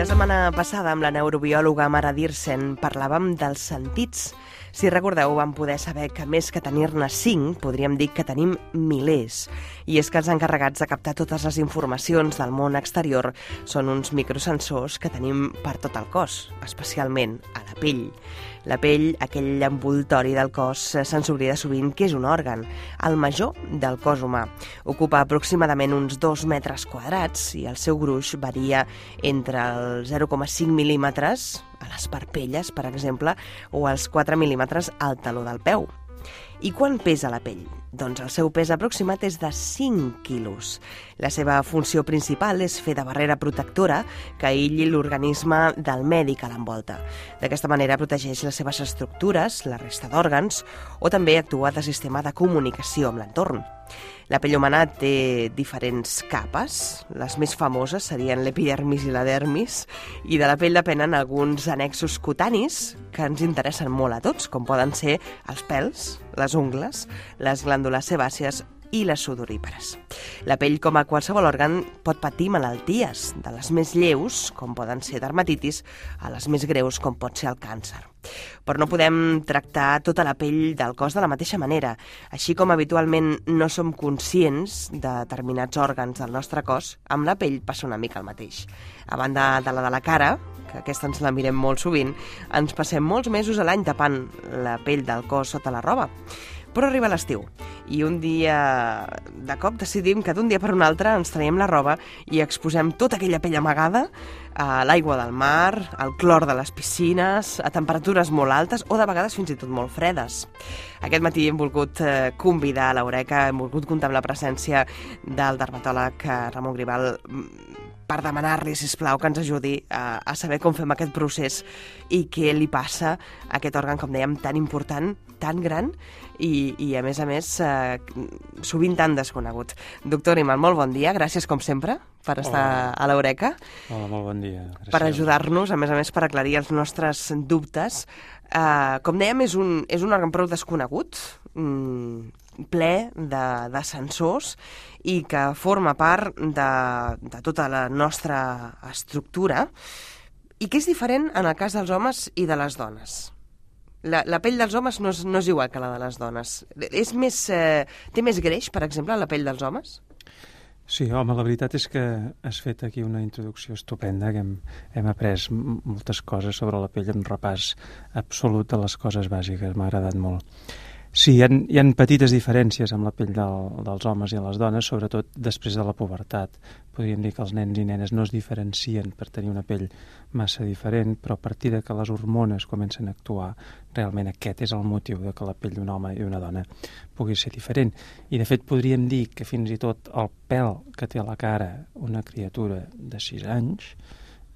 La setmana passada, amb la neurobiòloga Mara Dirsen, parlàvem dels sentits. Si recordeu, vam poder saber que més que tenir-ne 5, podríem dir que tenim milers. I és que els encarregats de captar totes les informacions del món exterior són uns microsensors que tenim per tot el cos, especialment a la pell. La pell, aquell envoltori del cos, se'ns oblida sovint que és un òrgan, el major del cos humà. Ocupa aproximadament uns 2 metres quadrats i el seu gruix varia entre el 0,5 mil·límetres a les parpelles, per exemple, o els 4 mil·límetres al taló del peu. I quan pesa la pell? Doncs el seu pes aproximat és de 5 quilos. La seva funció principal és fer de barrera protectora que aïlli l'organisme del medi que l'envolta. D'aquesta manera protegeix les seves estructures, la resta d'òrgans, o també actua de sistema de comunicació amb l'entorn. La pell humana té diferents capes. Les més famoses serien l'epidermis i la dermis, i de la pell depenen alguns annexos cutanis que ens interessen molt a tots, com poden ser els pèls, les ungles, les glàndules sebàcies i les sudorípares. La pell, com a qualsevol òrgan, pot patir malalties, de les més lleus, com poden ser dermatitis, a les més greus, com pot ser el càncer. Però no podem tractar tota la pell del cos de la mateixa manera. Així com habitualment no som conscients de determinats òrgans del nostre cos, amb la pell passa una mica el mateix. A banda de la cara, que aquesta ens la mirem molt sovint, ens passem molts mesos a l'any tapant la pell del cos sota la roba. Però arriba l'estiu i un dia de cop decidim que d'un dia per un altre ens traiem la roba i exposem tota aquella pell amagada a l'aigua del mar, al clor de les piscines, a temperatures molt altes o de vegades fins i tot molt fredes. Aquest matí hem volgut convidar a l'Eureka, hem volgut comptar amb la presència del dermatòleg Ramon Gribal per demanar-li, sisplau, que ens ajudi a saber com fem aquest procés i què li passa a aquest òrgan, com dèiem, tan important, tan gran i a més, sovint tan desconegut. Doctor Gribal, molt bon dia, gràcies com sempre per estar a l'Eureka. Hola, molt bon dia. Gràcies. Per ajudar-nos, a més, per aclarir els nostres dubtes. Com dèiem, és un òrgan prou desconegut, ple de sensors i que forma part de tota la nostra estructura i que és diferent en el cas dels homes i de les dones. La pell dels homes no és igual que la de les dones. Té més greix, per exemple, la pell dels homes? Sí, home, la veritat és que has fet aquí una introducció estupenda, que hem après moltes coses sobre la pell, un repàs absolut de les coses bàsiques, m'ha agradat molt. Sí, hi ha petites diferències amb la pell dels homes i les dones, sobretot després de la pubertat. Podríem dir que els nens i nenes no es diferencien per tenir una pell massa diferent, però a partir de que les hormones comencen a actuar, realment aquest és el motiu de que la pell d'un home i una dona pugui ser diferent. I de fet podríem dir que fins i tot el pèl que té a la cara una criatura de 6 anys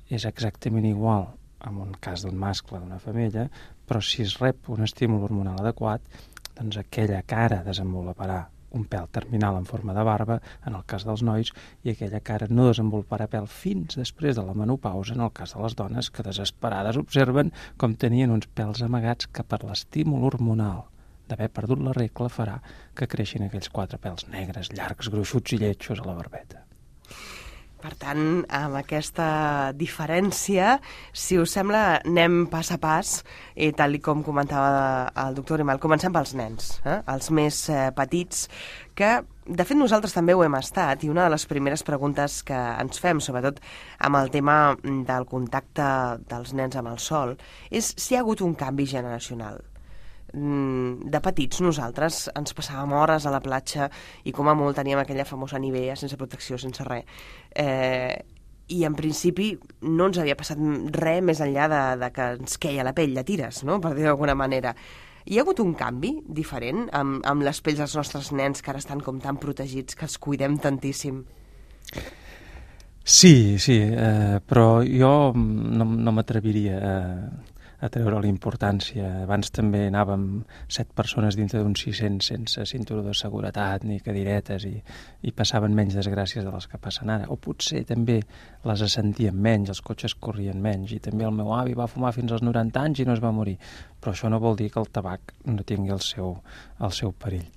és exactament igual en un cas d'un mascle, d'una femella, però si es rep un estímul hormonal adequat, doncs aquella cara desenvoluparà un pèl terminal en forma de barba, en el cas dels nois, i aquella cara no desenvoluparà pèl fins després de la menopausa, en el cas de les dones, que desesperades observen com tenien uns pèls amagats que per l'estímul hormonal d'haver perdut la regla farà que creixin aquells 4 pèls negres, llargs, gruixuts i lletjos a la barbeta. Per tant, amb aquesta diferència, si us sembla, anem pas a pas, tal com comentava el doctor Gribal. Comencem pels nens, els més petits, que de fet nosaltres també ho hem estat, i una de les primeres preguntes que ens fem, sobretot amb el tema del contacte dels nens amb el sol, és si hi ha hagut un canvi generacional. De petits nosaltres ens passàvem hores a la platja i com a molt teníem aquella famosa Nivea sense protecció, sense res, i en principi no ens havia passat res més enllà de que ens queia la pell de tires, no? Per dir d'alguna manera. Hi ha hagut un canvi diferent amb les pells dels nostres nens que ara estan com tan protegits, que els cuidem tantíssim? Sí, però jo no m'atreviria a treure la importància. Abans també anàvem 7 persones dintre d'un 600 sense cinturó de seguretat ni cadiretes i passaven menys desgràcies de les que passen ara. O potser també les sentien menys, els cotxes corrien menys, i també el meu avi va fumar fins als 90 anys i no es va morir. Però això no vol dir que el tabac no tingui el seu perill.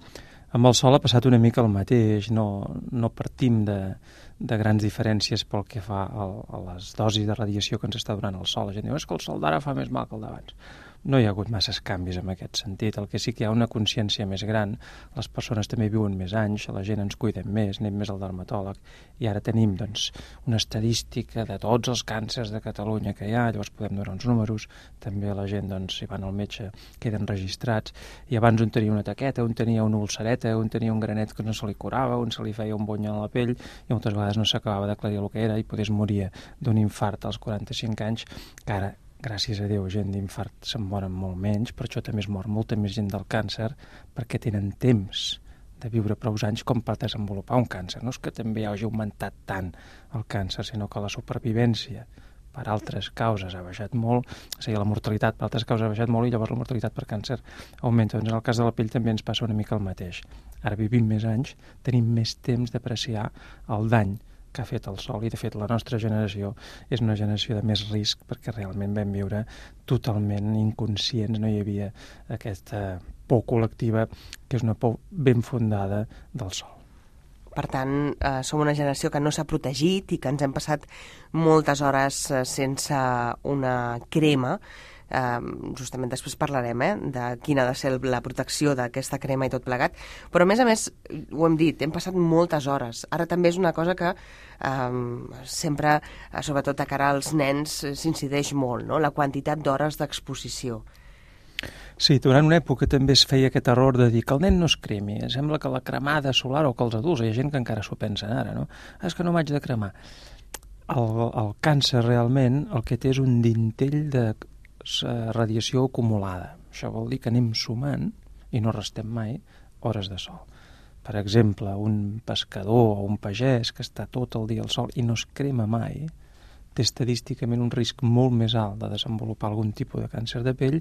Amb el sol ha passat una mica el mateix, no partim de grans diferències pel que fa a les dosis de radiació que ens està donant el sol. La gent diu, és que el sol d'ara fa més mal que el d'abans. No hi ha hagut masses canvis en aquest sentit. El que sí que hi ha una consciència més gran. Les persones també viuen més anys, la gent ens cuidem més, anem més al dermatòleg, i ara tenim doncs, una estadística de tots els càncers de Catalunya que hi ha, llavors podem donar uns números, també la gent, doncs, si van al metge, queden registrats, i abans un tenia una taqueta, un tenia una ulcereta, un tenia un granet que no se li curava, un se li feia un bony a la pell, i moltes vegades no s'acabava d'aclarir el que era, i potser moria d'un infart als 45 anys, que ara, gràcies a Déu, gent d'infart se'n moren molt menys, per això també es mor molta més gent del càncer, perquè tenen temps de viure prou anys com per desenvolupar un càncer. No és que també hagi augmentat tant el càncer, sinó que la supervivència per altres causes ha baixat molt, o sigui, la mortalitat per altres causes ha baixat molt i llavors la mortalitat per càncer augmenta. Doncs en el cas de la pell també ens passa una mica el mateix. Ara vivim més anys, tenim més temps d'apreciar el dany que ha fet el sol, i de fet la nostra generació és una generació de més risc perquè realment vam viure totalment inconscients, no hi havia aquesta por col·lectiva que és una por ben fundada del sol. Per tant, som una generació que no s'ha protegit i que ens hem passat moltes hores sense una crema. Justament després parlarem de quina ha de ser la protecció d'aquesta crema i tot plegat, però a més, ho hem dit, hem passat moltes hores. Ara també és una cosa que sempre, sobretot de cara als nens, s'incideix molt, no? La quantitat d'hores d'exposició. Sí, durant una època també es feia aquest error de dir que el nen no es cremi. Sembla que la cremada solar, o que els adults, hi ha gent que encara s'ho pensen ara, no? És que no m'haig de cremar. El càncer realment el que té és un dintell de radiació acumulada. Això vol dir que anem sumant, i no restem mai, hores de sol. Per exemple, un pescador o un pagès que està tot el dia al sol i no es crema mai, té estadísticament un risc molt més alt de desenvolupar algun tipus de càncer de pell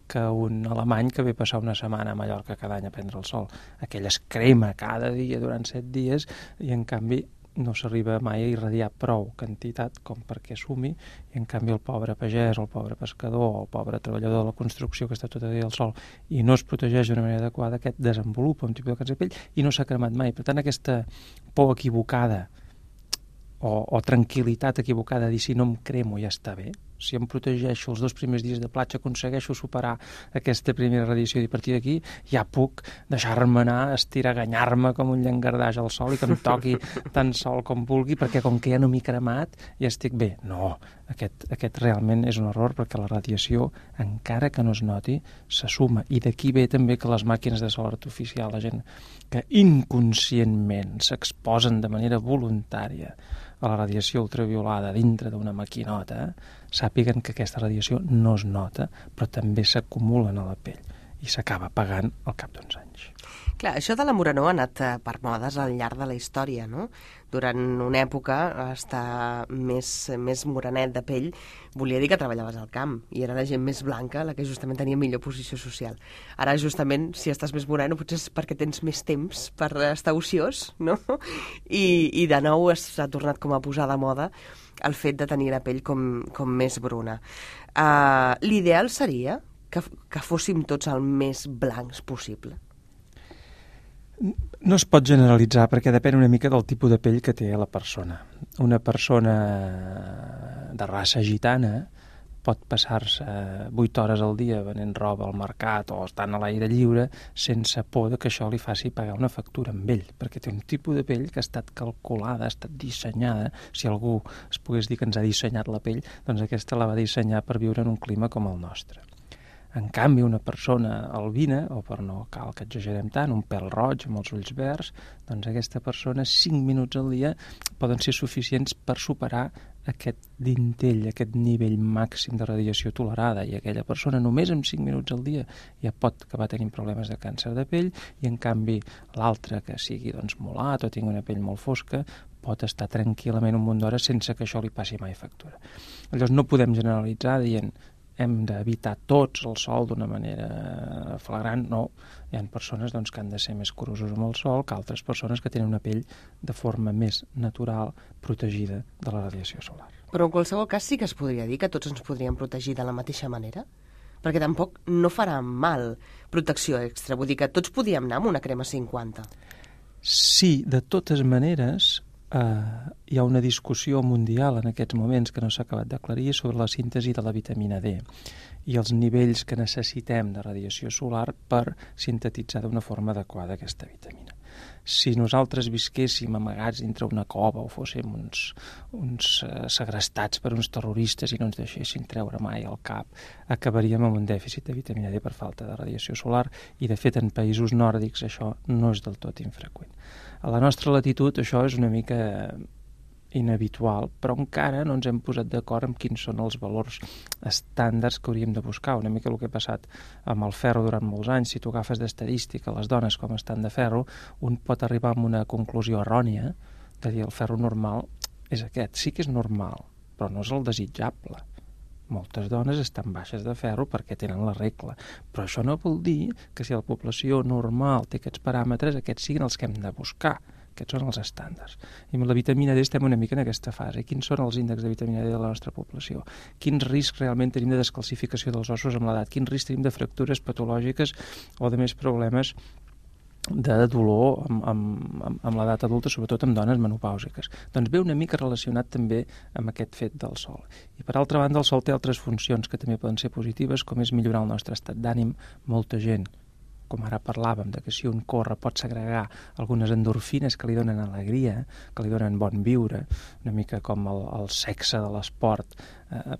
que un alemany que ve passar una setmana a Mallorca cada any a prendre el sol. Aquell es crema cada dia durant 7 dies i en canvi no s'arriba mai a irradiar prou quantitat com perquè sumi, i en canvi el pobre pagès, el pobre pescador o el pobre treballador de la construcció que està tot el dia al sol i no es protegeix d'una manera adequada, aquest desenvolupa un tipus de càncer de pell i no s'ha cremat mai. Per tant, aquesta por equivocada o tranquil·litat equivocada de dir si no em cremo ja està bé, si em protegeixo els 2 primers dies de platja, aconsegueixo superar aquesta primera radiació i a partir d'aquí ja puc deixar-me anar, estiraganyar-me com un llangardaix al sol i que em toqui tant sol com vulgui perquè com que ja no m'he cremat ja estic bé. No, aquest realment és un error perquè la radiació, encara que no es noti, se suma, i d'aquí ve també que les màquines de sol artificial, la gent que inconscientment s'exposen de manera voluntària a la radiació ultraviolada dintre d'una maquinota, sàpiguen que aquesta radiació no es nota, però també s'acumulen a la pell i s'acaba pagant al cap d'uns anys. Clar, això de la morenor ha anat per modes al llarg de la història, no? Durant una època, estar més morenet de pell volia dir que treballaves al camp i era la gent més blanca la que justament tenia millor posició social. Ara, justament, si estàs més moreno, potser és perquè tens més temps per estar ociós, no? I de nou s'ha tornat com a posar de moda el fet de tenir la pell com més bruna. L'ideal seria que fóssim tots el més blancs possible. No es pot generalitzar perquè depèn una mica del tipus de pell que té la persona. Una persona de raça gitana pot passar-se 8 hores al dia venent roba al mercat o estant a l'aire lliure sense por que això li faci pagar una factura amb ell, perquè té un tipus de pell que ha estat calculada, ha estat dissenyada. Si algú es pogués dir que ens ha dissenyat la pell, doncs aquesta la va dissenyar per viure en un clima com el nostre. En canvi, una persona albina, o per no cal que exagerem tant, un pèl roig amb els ulls verds, doncs aquesta persona 5 minuts al dia poden ser suficients per superar aquest dintell, aquest nivell màxim de radiació tolerada, i aquella persona només amb 5 minuts al dia ja pot acabar tenint problemes de càncer de pell, i en canvi l'altre, que sigui molat o tingui una pell molt fosca, pot estar tranquil·lament un munt d'hores sense que això li passi mai factura. Llavors no podem generalitzar dient hem d'evitar tots el sol d'una manera flagrant, no. Hi ha persones que han de ser més curosos amb el sol que altres persones que tenen una pell de forma més natural, protegida de la radiació solar. Però en qualsevol cas sí que es podria dir que tots ens podríem protegir de la mateixa manera? perquè tampoc no farà mal protecció extra. Vull dir que tots podíem anar amb una crema 50. Sí, de totes maneres, hi ha una discussió mundial en aquests moments que no s'ha acabat d'aclarir sobre la síntesi de la vitamina D i els nivells que necessitem de radiació solar per sintetitzar d'una forma adequada aquesta vitamina. Si nosaltres visquéssim amagats dintre una cova o fóssim uns segrestats per uns terroristes i no ens deixessin treure mai al cap, acabaríem amb un dèficit de vitamina D per falta de radiació solar i, de fet, en països nòrdics això no és del tot infreqüent. A la nostra latitud això és una mica inhabitual, però encara no ens hem posat d'acord amb quins són els valors estàndards que hauríem de buscar. Una mica el que ha passat amb el ferro durant molts anys. Si tu agafes d'estadística les dones com estan de ferro, un pot arribar a una conclusió errònia de dir el ferro normal és aquest. Sí que és normal, però no és el desitjable. Moltes dones estan baixes de ferro perquè tenen la regla, però això no vol dir que si la població normal té aquests paràmetres, aquests siguin els que hem de buscar. Aquests són els estàndards. I amb la vitamina D estem una mica en aquesta fase. Quins són els índexs de vitamina D de la nostra població? Quins riscs realment tenim de descalcificació dels ossos amb l'edat? Quins riscs tenim de fractures patològiques o de més problemes de dolor amb l'edat adulta, sobretot amb dones menopàusiques? Doncs ve una mica relacionat també amb aquest fet del sol. I per altra banda, el sol té altres funcions que també poden ser positives, com és millorar el nostre estat d'ànim. Molta gent, com ara parlàvem, de que si un corre pot segregar algunes endorfines que li donen alegria, que li donen bon viure, una mica com el sexe de l'esport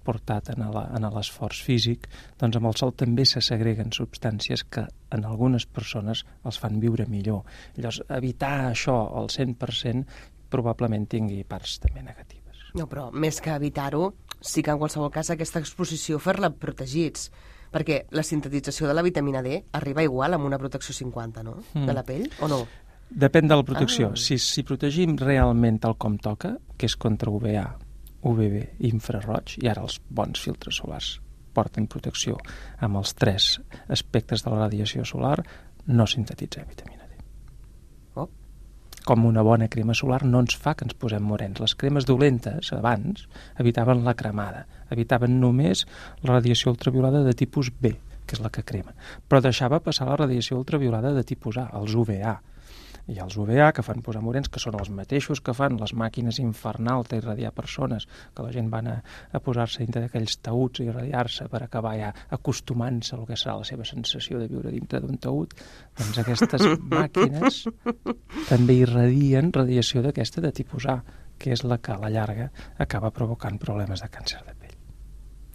portat en l'esforç físic, doncs amb el sol també se segreguen substàncies que en algunes persones els fan viure millor. Llavors, evitar això al 100% probablement tingui parts també negatives. No, però més que evitar-ho, sí que en qualsevol cas aquesta exposició fer-la protegits, perquè la sintetització de la vitamina D arriba igual amb una protecció 50, no?, de la pell, o no? Depèn de la protecció. Si protegim realment tal com toca, que és contra UVA, UVB i infraroig, i ara els bons filtres solars porten protecció amb els 3 aspectes de la radiació solar, no sintetitzem vitamina D. Com una bona crema solar no ens fa que ens posem morens. Les cremes dolentes, abans, evitaven la cremada, evitaven només la radiació ultraviolada de tipus B, que és la que crema, però deixava passar la radiació ultraviolada de tipus A, els UVA. I els UVA, que fan posar morens, que són els mateixos que fan les màquines infernals d'irradiar persones, que la gent van a posar-se dintre d'aquells taüts i irradiar-se per acabar ja acostumant-se al que serà la seva sensació de viure dintre d'un taüt, doncs aquestes màquines també irradien radiació d'aquesta de tipus A, que és la que a la llarga acaba provocant problemes de càncer de pell.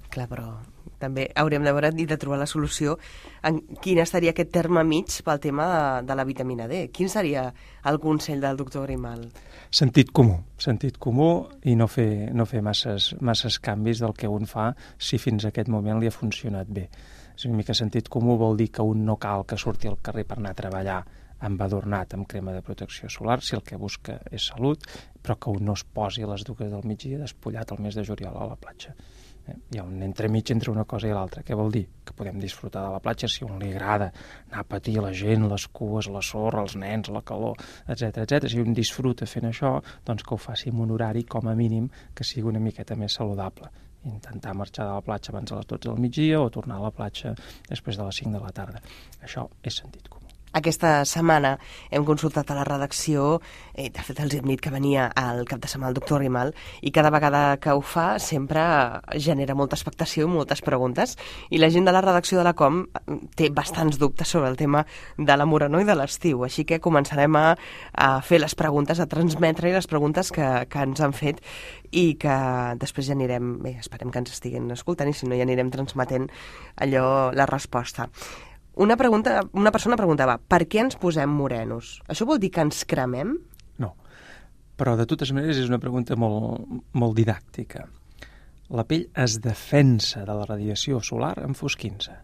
Clar, però també hauríem de veure i de trobar la solució en quin estaria aquest terme mig pel tema de la vitamina D. Quin seria el consell del doctor Grimal? Sentit comú i no fer masses canvis del que un fa si fins a aquest moment li ha funcionat bé. És una mica sentit comú, vol dir que un no cal que surti al carrer per anar a treballar embadornat amb crema de protecció solar, si el que busca és salut, però que un no es posi a les 2 del migdia despullat el mes de juliol a la platja. Hi ha un entremig entre una cosa i l'altra. Què vol dir? Que podem disfrutar de la platja si a un li agrada anar a patir la gent, les cues, la sorra, els nens, la calor, etc. Si un disfruta fent això, doncs que ho faci en un horari com a mínim que sigui una miqueta més saludable. Intentar marxar de la platja abans de les 12 del migdia o tornar a la platja després de les 5 de la tarda. Això és sentit comú. Aquesta setmana hem consultat a la redacció, de fet els hem dit que venia al cap de setmana el doctor Grimal, i cada vegada que ho fa sempre genera molta expectació i moltes preguntes, i la gent de la redacció de la COM té bastants dubtes sobre el tema de la morenor i de l'estiu, així que començarem a fer les preguntes, a transmetre les preguntes que ens han fet i que després ja anirem, esperem que ens estiguin escoltant i si no ja anirem transmetent allò, la resposta. Una persona preguntava, per què ens posem morenos? Això vol dir que ens cremem? No, però de totes maneres és una pregunta molt didàctica. La pell es defensa de la radiació solar enfosquint-se.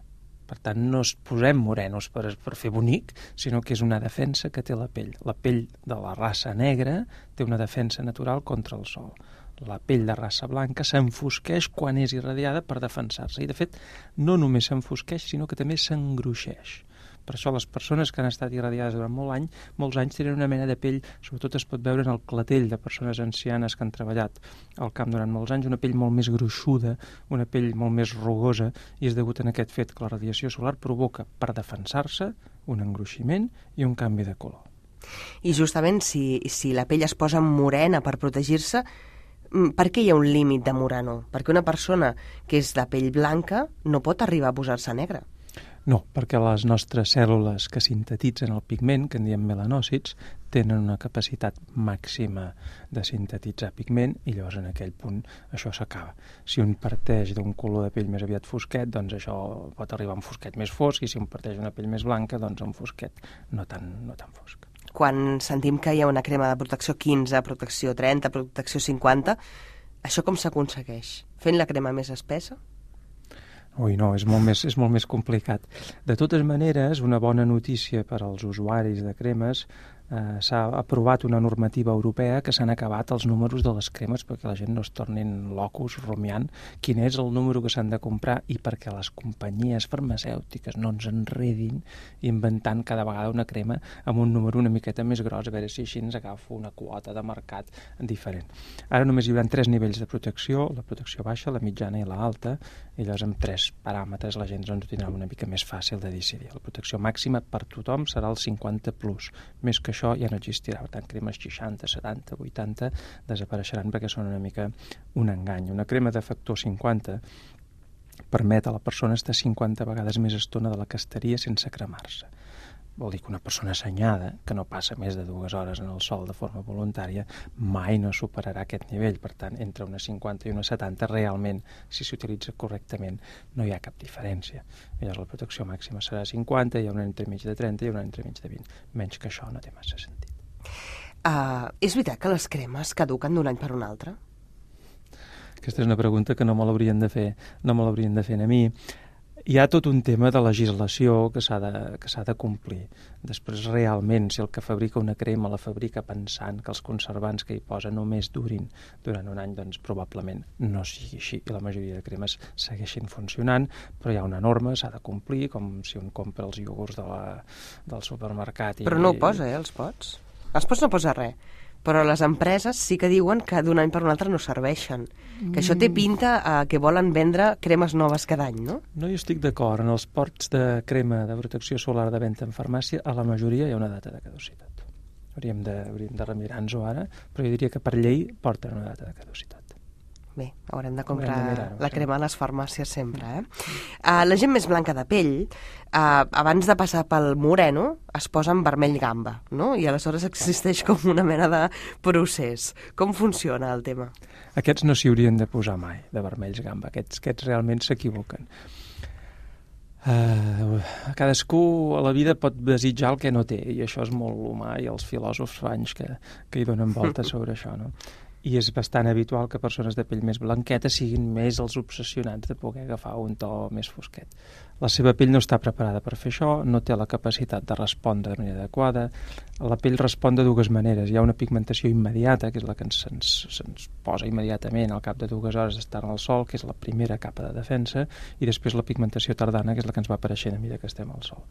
Per tant, no es posem morenos per fer bonic, sinó que és una defensa que té la pell. La pell de la raça negra té una defensa natural contra el sol. La pell de raça blanca s'enfosqueix quan és irradiada per defensar-se. I, de fet, no només s'enfosqueix, sinó que també s'engruixeix. Per això les persones que han estat irradiades durant molts anys tenen una mena de pell, sobretot es pot veure en el clatell de persones ancianes que han treballat al camp durant molts anys, una pell molt més gruixuda, una pell molt més rugosa, i és degut a aquest fet que la radiació solar provoca, per defensar-se, un engruiximent i un canvi de color. I justament si la pell es posa morena per protegir-se, per què hi ha un límit de moreno? Perquè una persona que és de pell blanca no pot arribar a posar-se negra. No, perquè les nostres cèl·lules que sintetitzen el pigment, que en diem melanòcits, tenen una capacitat màxima de sintetitzar pigment i llavors en aquell punt això s'acaba. Si un parteix d'un color de pell més aviat fosquet, doncs això pot arribar a un fosquet més fosc, i si un parteix d'una pell més blanca, doncs a un fosquet no tan fosc. Quan sentim que hi ha una crema de protecció 15, protecció 30, protecció 50, això com s'aconsegueix? Fent la crema més espessa? Ui, no, és molt més complicat. De totes maneres, una bona notícia per als usuaris de cremes, s'ha aprovat una normativa europea que s'han acabat els números de les cremes perquè la gent no es tornin locos rumiant quin és el número que s'han de comprar i perquè les companyies farmacèutiques no ens enredin inventant cada vegada una crema amb un número una miqueta més gros, a veure si així ens agafa una quota de mercat diferent. Ara només hi haurà 3 nivells de protecció, la protecció baixa, la mitjana i la alta, i llavors amb 3 paràmetres la gent ens ho tindrà una mica més fàcil de decidir. La protecció màxima per tothom serà el 50+, més que això ja no existirà. Per tant, cremes 60, 70, 80 desapareixeran perquè són una mica un engany. Una crema de factor 50 permet a la persona estar 50 vegades més estona de la que estaria sense cremar-se. Vol dir que una persona assenyada, que no passa més de 2 hores en el sol de forma voluntària, mai no superarà aquest nivell. Per tant, entre una 50 i una 70, realment, si s'utilitza correctament, no hi ha cap diferència. Llavors, la protecció màxima serà 50, hi ha una entremig de 30 i una entremig de 20. Menys que això no té massa sentit. És veritat que les cremes caduquen d'un any per un altre? Aquesta és una pregunta que no me l'haurien de fer a mi. Hi ha tot un tema de legislació que s'ha de complir. Després, realment, si el que fabrica una crema la fabrica pensant que els conservants que hi posa només durin durant un any, doncs probablement no sigui així. I la majoria de cremes segueixin funcionant, però hi ha una norma, s'ha de complir, com si un compra els iogurts del supermercat. Però no ho posa, els pots? Els pots no posa res. Però les empreses sí que diuen que d'un any per un altre no serveixen. Que això té pinta que volen vendre cremes noves cada any, no? No, jo estic d'acord. En els pots de crema de protecció solar de venda en farmàcia, a la majoria hi ha una data de caducitat. Hauríem de remirar-nos-ho ara, però jo diria que per llei porten una data de caducitat. Bé, haurem de comprar la crema a les farmàcies sempre, la gent més blanca de pell, abans de passar pel moreno, es posa en vermell gamba, no? I aleshores existeix com una mena de procés. Com funciona el tema? Aquests no s'hi haurien de posar mai, de vermells gamba. Aquests realment s'equivoquen. Cadascú a la vida pot desitjar el que no té, i això és molt humà, i els filòsofs fa anys que hi donen voltes sobre això, no? I és bastant habitual que persones de pell més blanqueta siguin més els obsessionats de poder agafar un to més fosquet. La seva pell no està preparada per fer això, no té la capacitat de respondre de manera adequada. La pell respon de 2 maneres. Hi ha una pigmentació immediata, que és la que se'ns posa immediatament al cap de 2 hores d'estar al sol, que és la primera capa de defensa, i després la pigmentació tardana, que és la que ens va apareixent a mesura que estem al sol.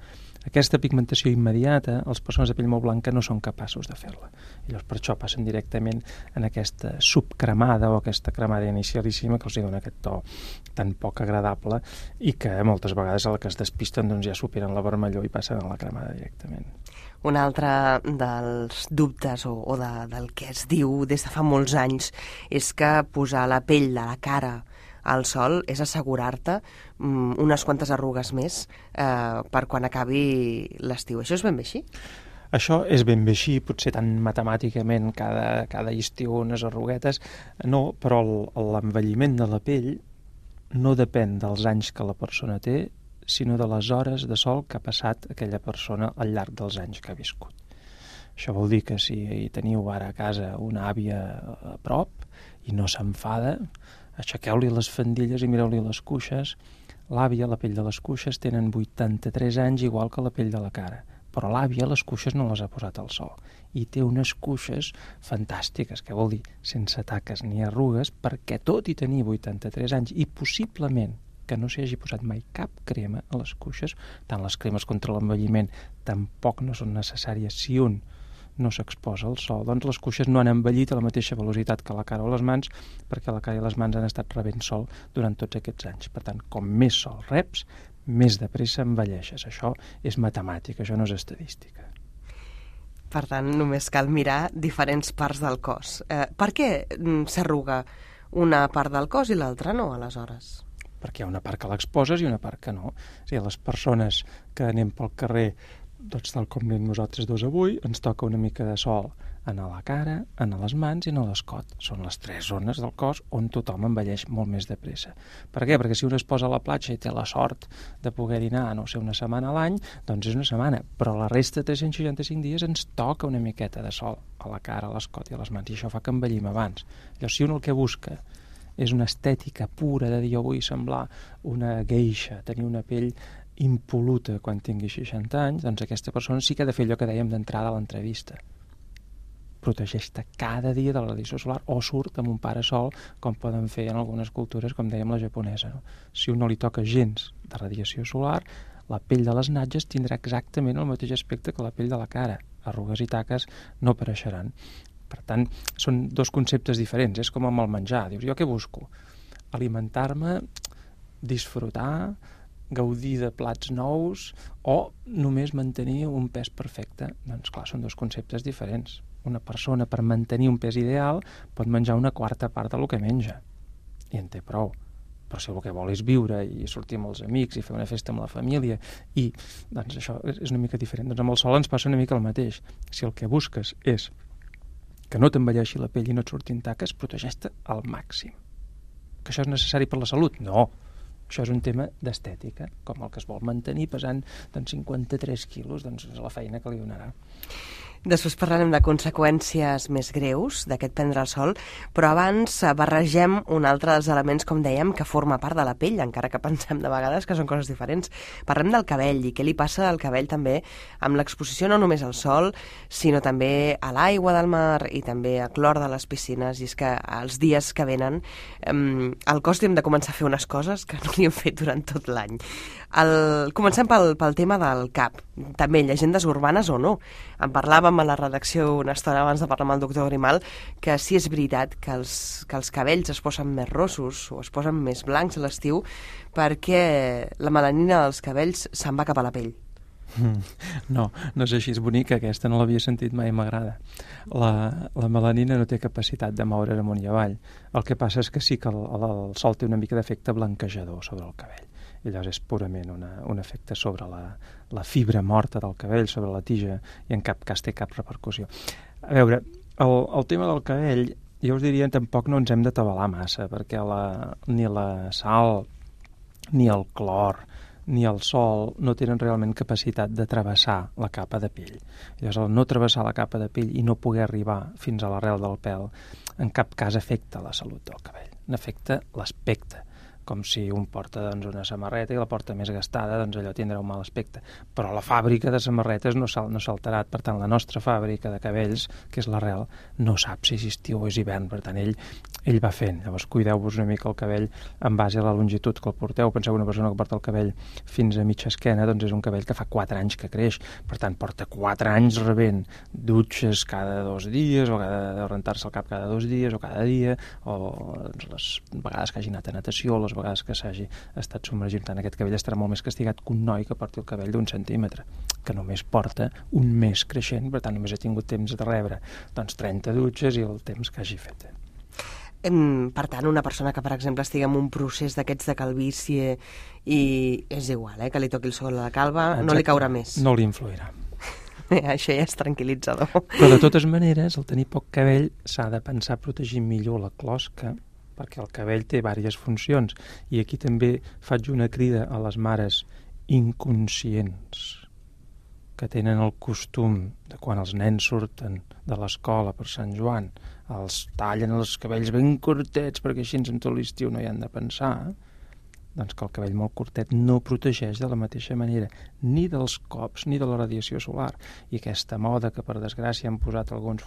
Aquesta pigmentació immediata, les persones de pell molt blanca no són capaços de fer-la. I llavors per això passen directament en aquesta subcremada o aquesta cremada inicialíssima que els dona aquest to tan poc agradable i que moltes vegades a la que es despisten doncs ja superen la vermellor i passen a la cremada directament. Un altre dels dubtes o del que es diu des de fa molts anys és que posar la pell de la cara al sol és assegurar-te unes quantes arrugues més per quan acabi l'estiu. Això és ben bé així? Això és ben bé així, potser tan matemàticament cada estiu unes arruguetes, no, però l'envelliment de la pell no depèn dels anys que la persona té, sinó de les hores de sol que ha passat aquella persona al llarg dels anys que ha viscut. Això vol dir que si teniu ara a casa una àvia a prop i no s'enfada, aixequeu-li les faldilles i mireu-li les cuixes. L'àvia, la pell de les cuixes, tenen 83 anys igual que la pell de la cara, però l'àvia les cuixes no les ha posat al sol i té unes cuixes fantàstiques, que vol dir sense taques ni arrugues, perquè tot i tenir 83 anys i possiblement que no s'hi hagi posat mai cap crema a les cuixes. Tant les cremes contra l'envelliment tampoc no són necessàries si un no s'exposa al sol. Doncs les cuixes no han envellit a la mateixa velocitat que la cara o les mans, perquè la cara i les mans han estat rebent sol durant tots aquests anys. Per tant, com més sol reps, més de pressa envelleixes. Això és matemàtica, això no és estadística. Per tant, només cal mirar diferents parts del cos. Per què s'arruga una part del cos i l'altra no, aleshores? Perquè hi ha una part que l'exposes i una part que no. O sigui, les persones que anem pel carrer, doncs tal com anem nosaltres dos avui, ens toca una mica de sol en la cara, en les mans i en l'escot. Són les 3 zones del cos on tothom envelleix molt més de pressa. Per què? Perquè si un es posa a la platja i té la sort de poder anar, no sé, una setmana a l'any, doncs és una setmana, però la resta de 365 dies ens toca una miqueta de sol a la cara, a l'escot i a les mans, i això fa que envellim abans. Llavors, si un el que busca és una estètica pura de dir jo vull semblar una geisha, tenir una pell impol·luta quan tingui 60 anys, doncs aquesta persona sí que ha de fer allò que dèiem d'entrada a l'entrevista. Protegeix-te cada dia de la radiació solar o surt amb un parasol, com poden fer en algunes cultures, com dèiem la japonesa. No? Si un no li toca gens de radiació solar, la pell de les natges tindrà exactament el mateix aspecte que la pell de la cara. Arrugues i taques no apareixeran. Per tant, són dos conceptes diferents. És com amb el menjar. Dius, jo què busco? Alimentar-me, disfrutar, gaudir de plats nous o només mantenir un pes perfecte? Doncs clar, són dos conceptes diferents. Una persona, per mantenir un pes ideal, pot menjar una quarta part del que menja. I en té prou. Però si el que vol és viure i sortir amb els amics i fer una festa amb la família, i doncs això és una mica diferent. Doncs amb el sol ens passa una mica el mateix. Si el que busques és que no t'envelleixi la pell i no et surtin taques, protegeix-te al màxim. Que això és necessari per la salut? No. Això és un tema d'estètica, com el que es vol mantenir pesant 53 quilos, doncs és la feina que li donarà. Després parlarem de conseqüències més greus d'aquest prendre el sol, però abans barregem un altre dels elements, com dèiem, que forma part de la pell, encara que pensem de vegades que són coses diferents. Parlem del cabell i què li passa al cabell també amb l'exposició no només al sol, sinó també a l'aigua del mar i també a clor de les piscines. I és que els dies que venen al cos hem de començar a fer unes coses que no li hem fet durant tot l'any. Comencem pel tema del cap. També llegendes urbanes o no. En parlàvem a la redacció una estona abans de parlar amb el doctor Grimal que sí és veritat que els cabells es posen més rossos o es posen més blancs a l'estiu perquè la melanina dels cabells se'n va cap a la pell. No és així, és bonica aquesta, no l'havia sentit mai, m'agrada. La melanina no té capacitat de moure's amunt i avall. El que passa és que sí que el sol té una mica d'efecte blanquejador sobre el cabell. I llavors és purament un efecte sobre la fibra morta del cabell, sobre la tija, i en cap cas té cap repercussió. A veure, el tema del cabell, jo us diria tampoc no ens hem d'atabalar massa, perquè ni la sal, ni el clor, ni el sol no tenen realment capacitat de travessar la capa de pell. Llavors, el no travessar la capa de pell i no poder arribar fins a l'arrel del pèl, en cap cas afecta la salut del cabell, n'afecta l'aspecte. Com si un porta una samarreta i la porta més gastada, doncs allò tindrà un mal aspecte. Però la fàbrica de samarretes no s'ha alterat, per tant la nostra fàbrica de cabells, que és l'arrel, no sap si és estiu o és hivern, per tant ell va fent. Llavors cuideu-vos una mica el cabell en base a la longitud que el porteu. Penseu una persona que porta el cabell fins a mitja esquena, doncs és un cabell que fa 4 anys que creix, per tant porta 4 anys rebent dutxes cada 2 dies, o de rentar-se el cap cada 2 dies, o cada dia, o doncs, les vegades que hagi anat a natació, les vegades que s'hagi estat submergint. Tant aquest cabell estarà molt més castigat que un noi que porti el cabell d'1 centímetre, que només porta un mes creixent, per tant només ha tingut temps de rebre doncs 30 dutxes i el temps que hagi fet. Per tant, una persona que, per exemple, estigui en un procés d'aquests de calvície i és igual, que li toqui el sol a la calva, exacte, no li caurà més. No li influirà. Això ja és tranquil·litzador. Però de totes maneres, el tenir poc cabell s'ha de pensar protegir millor la closca, perquè el cabell té diverses funcions. I aquí també faig una crida a les mares inconscients que tenen el costum de quan els nens surten de l'escola per Sant Joan, els tallen els cabells ben curtets perquè així en tot l'estiu no hi han de pensar. Doncs que el cabell molt curtet no protegeix de la mateixa manera ni dels cops ni de la radiació solar. I aquesta moda que, per desgràcia, han posat alguns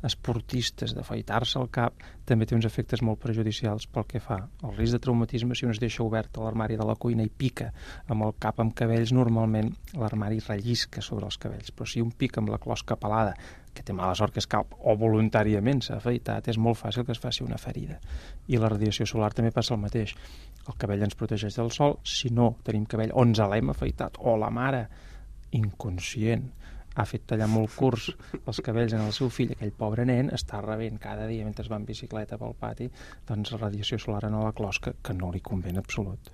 esportistes d'afaitar-se el cap també té uns efectes molt perjudicials pel que fa al risc de traumatisme. Si un es deixa obert a l'armari de la cuina i pica amb el cap amb cabells, normalment l'armari rellisca sobre els cabells, però si un pica amb la closca pelada, que té mala sort que és calb, o voluntàriament s'ha afaitat, és molt fàcil que es faci una ferida. I la radiació solar també passa el mateix. El cabell ens protegeix del sol. Si no tenim cabell, o ens l'hem afaitat, o la mare, inconscient, ha fet tallar molt curts els cabells en el seu fill, aquell pobre nen està rebent cada dia mentre va en bicicleta pel pati, doncs la radiació solar en la closca, que no li convé en absolut.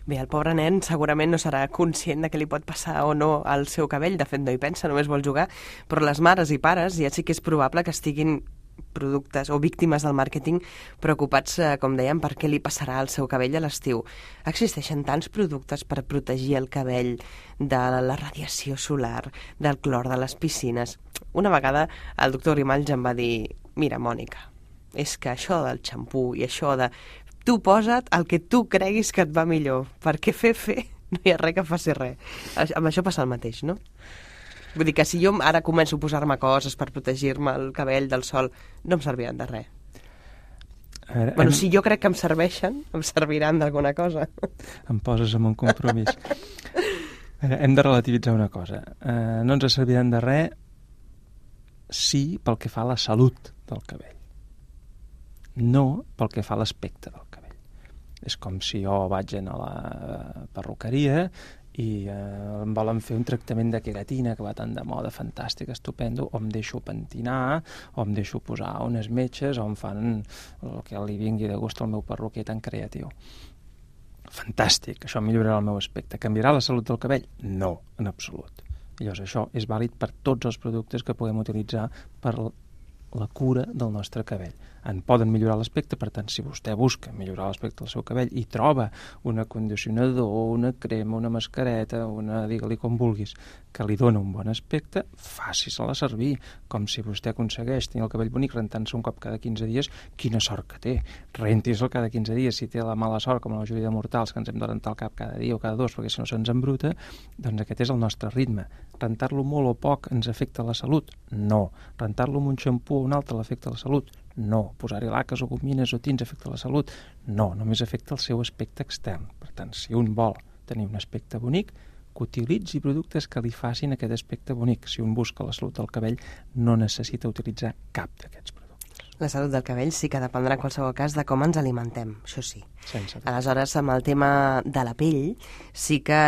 Bé, el pobre nen segurament no serà conscient de què li pot passar o no al seu cabell, de fet no hi pensa, només vol jugar, però les mares i pares ja sí que és probable que estiguin productes o víctimes del màrqueting preocupats, com dèiem, per què li passarà al seu cabell a l'estiu. Existeixen tants productes per protegir el cabell de la radiació solar, del clor de les piscines. Una vegada el doctor Grimalls em va dir: mira, Mònica, és que això del xampú i això de... tu posa't el que tu creguis que et va millor, perquè fer no hi ha res que faci res. Amb això passa el mateix, no? Vull dir que si jo ara començo a posar-me coses per protegir-me el cabell del sol, no em serviran de res. Bueno, si jo crec que em serveixen, em serviran d'alguna cosa. Em poses en un compromís. Hem de relativitzar una cosa. No ens serviran de res sí pel que fa a la salut del cabell. No pel que fa a l'aspecte del cabell. És com si jo vaig a la perruqueria i em volen fer un tractament de queratina que va tan de moda, fantàstic, estupendo, o em deixo pentinar, o em deixo posar unes metges, o em fan el que li vingui de gust al meu perruquer tan creatiu. Fantàstic, això millorarà el meu aspecte. Canviarà la salut del cabell? No, en absolut. Llavors això és vàlid per tots els productes que puguem utilitzar per la cura del nostre cabell. En poden millorar l'aspecte, per tant, si vostè busca millorar l'aspecte del seu cabell i troba un acondicionador, una crema, una mascareta, digue-li com vulguis, que li dona un bon aspecte, faci-se-la servir. Com si vostè aconsegueix tenir el cabell bonic rentant-se un cop cada 15 dies, quina sort que té. Renti-se'l cada 15 dies. Si té la mala sort, com la majoria de mortals, que ens hem de rentar el cap cada dia o cada dos, perquè si no se'ns embruta, doncs aquest és el nostre ritme. Rentar-lo molt o poc ens afecta la salut? No. Rentar-lo amb un xampú o un altre l'afecta la salut? No. Posar-hi laques o gomines o tints afecta la salut? No, només afecta el seu aspecte extern. Per tant, si un vol tenir un aspecte bonic, que utilitzi productes que li facin aquest aspecte bonic. Si un busca la salut del cabell, no necessita utilitzar cap d'aquests productes. La salut del cabell sí que dependrà en qualsevol cas de com ens alimentem, això sí. Sense Aleshores, amb el tema de la pell, sí que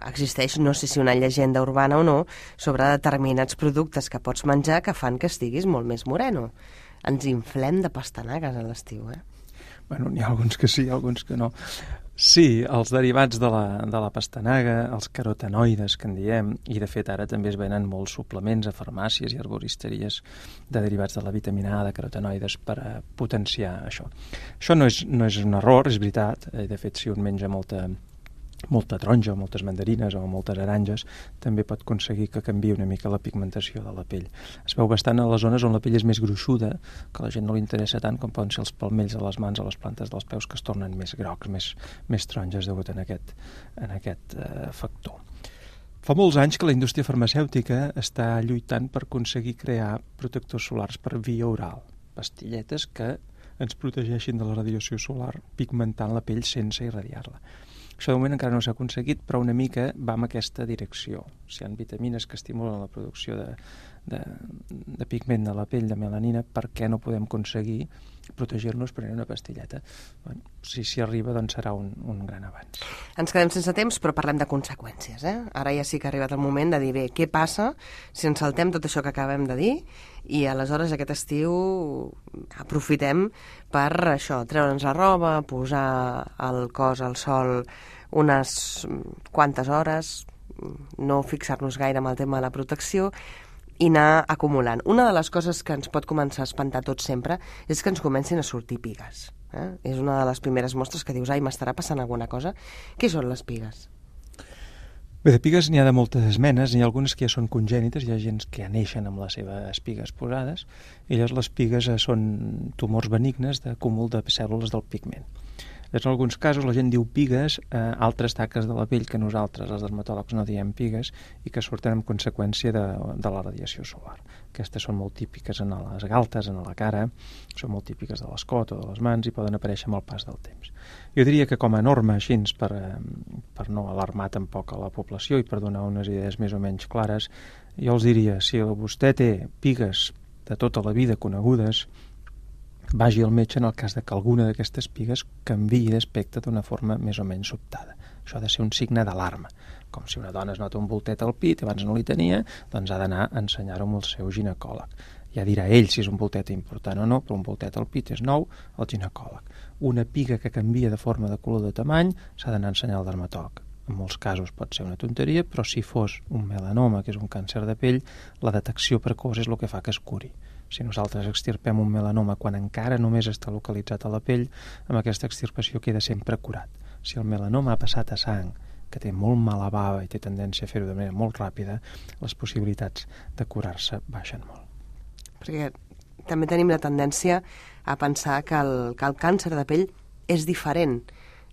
existeix, no sé si una llegenda urbana o no, sobre determinats productes que pots menjar que fan que estiguis molt més moreno. Ens inflem de pastanagues a l'estiu, Bueno, n'hi ha alguns que sí, alguns que no. Sí, els derivats de la pastanaga, els carotenoides que en diem, i de fet ara també es venen molts suplements a farmàcies i arboristeries de derivats de la vitamina A, de carotenoides, per a potenciar això. Això no és un error, és veritat. De fet, si un menja molta taronja, o moltes mandarines o moltes aranges, també pot aconseguir que canviï una mica la pigmentació de la pell. Es veu bastant a les zones on la pell és més gruixuda, que a la gent no li interessa tant, com poden ser els palmells a les mans o les plantes dels peus, que es tornen més grocs, més taronges degut en aquest factor. Fa molts anys que la indústria farmacèutica està lluitant per aconseguir crear protectors solars per via oral, pastilletes que ens protegeixin de la radiació solar pigmentant la pell sense irradiar-la. Això de moment encara no s'ha aconseguit, però una mica va en aquesta direcció. Si hi ha vitamines que estimulen la producció de pigment de la pell, de melanina, per què no podem aconseguir protegir-nos prenent una pastilleta? Bueno, si s'hi arriba, doncs serà un gran avanç. Ens quedem sense temps, però parlem de conseqüències. Ara ja sí que ha arribat el moment de dir, bé, què passa si ens saltem tot això que acabem de dir i aleshores aquest estiu aprofitem per això, treure'ns la roba, posar el cos al sol unes quantes hores, no fixar-nos gaire amb el tema de la protecció i anar acumulant. Una de les coses que ens pot començar a espantar tot sempre és que ens comencin a sortir pigues. És una de les primeres mostres que dius, ai, m'estarà passant alguna cosa. Què són les pigues? Bé, de pigues n'hi ha de moltes menes, n'hi ha algunes que ja són congènites, hi ha gent que ja neixen amb les seves pigues posades, i llavors les pigues són tumors benignes d'acúmul de cèl·lules del pigment. En alguns casos la gent diu pigues a altres taques de la pell que nosaltres, els dermatòlegs, no diem pigues i que surten en conseqüència de la radiació solar. Aquestes són molt típiques en les galtes, en la cara, són molt típiques de l'escot o de les mans i poden aparèixer amb el pas del temps. Jo diria que com a norma, així, per no alarmar tampoc a la població i per donar unes idees més o menys clares, jo els diria, si vostè té pigues de tota la vida conegudes, vagi al metge en el cas de que alguna d'aquestes pigues canviï d'aspecte d'una forma més o menys sobtada. Això ha de ser un signe d'alarma. Com si una dona es nota un voltet al pit i abans no li tenia, doncs ha d'anar a ensenyar-ho amb el seu ginecòleg. Ja dirà ell si és un voltet important o no, però un voltet al pit és nou, el ginecòleg. Una piga que canvia de forma, de color, de tamany, s'ha d'anar a ensenyar al dermatòleg. En molts casos pot ser una tonteria, però si fos un melanoma, que és un càncer de pell, la detecció precoç és el que fa que es curi. Si nosaltres extirpem un melanoma quan encara només està localitzat a la pell, amb aquesta extirpació queda sempre curat. Si el melanoma ha passat a sang, que té molt mala bava i té tendència a fer-ho de manera molt ràpida, les possibilitats de curar-se baixen molt. Perquè també tenim la tendència a pensar que el càncer de pell és diferent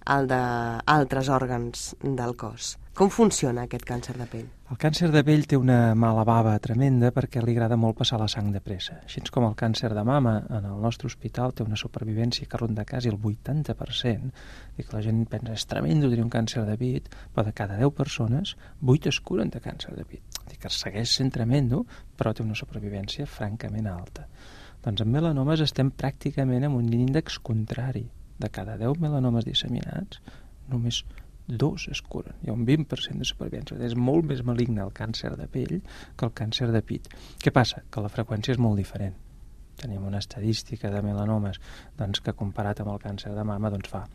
al d'altres òrgans del cos. Com funciona aquest càncer de pell? El càncer de pell té una mala bava tremenda perquè li agrada molt passar la sang de pressa. Així com el càncer de mama en el nostre hospital té una supervivència que ronda quasi el 80%, i que la gent pensa és tremendo tenir un càncer de pit, però de cada 10 persones, 8 es curen de càncer de pit. Que segueix sent tremendo, però té una supervivència francament alta. Doncs en melanomes estem pràcticament en un índex contrari. De cada 10 melanomes disseminats, només 2 es curen. Hi ha un 20% de supervivència. És molt més maligne el càncer de pell que el càncer de pit. Què passa? Que la freqüència és molt diferent. Tenim una estadística de melanomes doncs, que comparat amb el càncer de mama doncs fa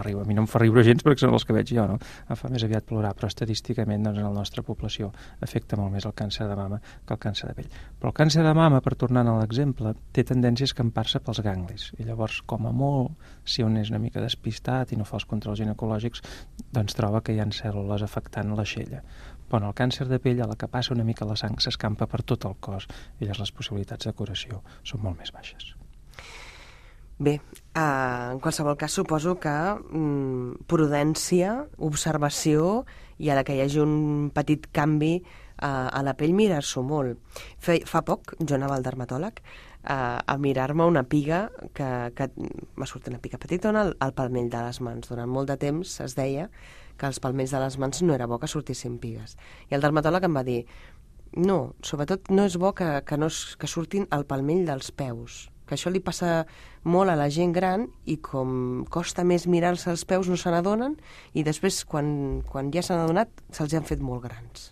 riure. A mi no em fa riure gens perquè són els que veig jo, no? Em fa més aviat plorar, però estadísticament doncs, en la nostra població afecta molt més el càncer de mama que el càncer de pell. Però el càncer de mama, per tornar a l'exemple, té tendència a escampar-se pels ganglis. I llavors, com a molt, si un és una mica despistat i no fa els controls ginecològics, doncs troba que hi ha cèl·lules afectant l'aixella. Però en el càncer de pell, a la que passa una mica la sang, s'escampa per tot el cos i llavors les possibilitats de curació són molt més baixes. Bé, en qualsevol cas suposo que prudència, observació i a la que hi hagi un petit canvi a la pell mirar-s'ho molt. Fa poc jo anava al dermatòleg a mirar-me una piga que m'ha sortit una piga petitona al palmell de les mans. Durant molt de temps es deia que als palmells de les mans no era bo que sortissin pigues. I el dermatòleg em va dir no, sobretot no és bo que surtin al palmell dels peus, que això li passa molt a la gent gran i com costa més mirar-se els peus no se n'adonen i després quan ja s'han adonat se'ls han fet molt grans.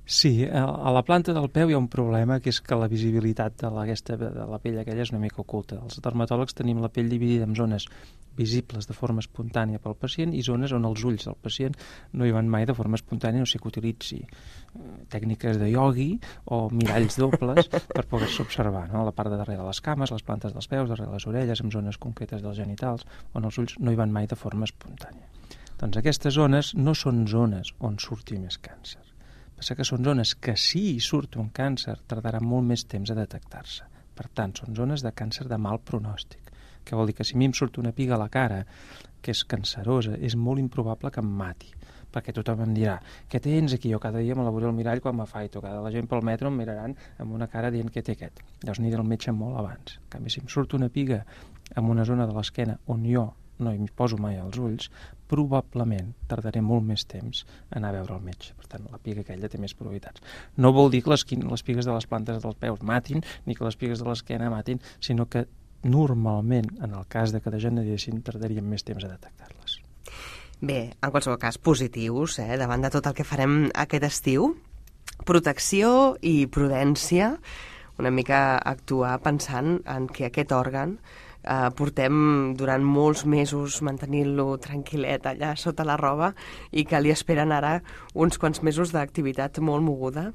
Sí, a la planta del peu hi ha un problema que és que la visibilitat de la pell aquella és una mica oculta. Els dermatòlegs tenim la pell dividida en zones visibles de forma espontània pel pacient i zones on els ulls del pacient no hi van mai de forma espontània, no sé que utilitzi tècniques de iogui o miralls dobles per poder-se observar, no? A la part de darrere de les cames, les plantes dels peus, darrere les orelles, en zones concretes dels genitals, on els ulls no hi van mai de forma espontània. Doncs aquestes zones no són zones on surti més càncer. Passa que són zones que si hi surt un càncer tardarà molt més temps a detectar-se. Per tant, són zones de càncer de mal pronòstic. Que vol dir que si a mi em surt una piga a la cara que és cancerosa, és molt improbable que em mati. Perquè tothom em dirà, què tens aquí? Jo cada dia me la veuré al mirall quan m'afaito. Cada la gent pel metro em miraran amb una cara dient què té aquest. Llavors aniré al metge molt abans. En canvi, si em surt una piga en una zona de l'esquena on jo no hi poso mai els ulls, probablement tardaré molt més temps a anar a veure el metge. Per tant, la piga aquella té més probabilitats. No vol dir que les pigues de les plantes dels peus matin, ni que les pigues de l'esquena matin, sinó que normalment, en el cas de que degeneressin, tardaríem més temps a detectar-les. Bé, en qualsevol cas, positius, davant de tot el que farem aquest estiu. Protecció i prudència, una mica actuar pensant en que aquest òrgan portem durant molts mesos mantenint-lo tranquil·let allà sota la roba i que li esperen ara uns quants mesos d'activitat molt moguda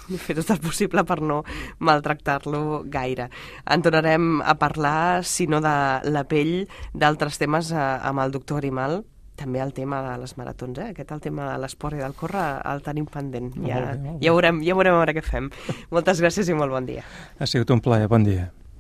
i fer tot el possible per no maltractar-lo gaire. En tornarem a parlar, si no de la pell, d'altres temes amb el doctor Arimal. També el tema de les maratons, aquest el tema de l'esport i del córrer el tenim pendent. Ja veurem a veure què fem. Moltes gràcies i molt bon dia. Ha sigut un plaer, bon dia.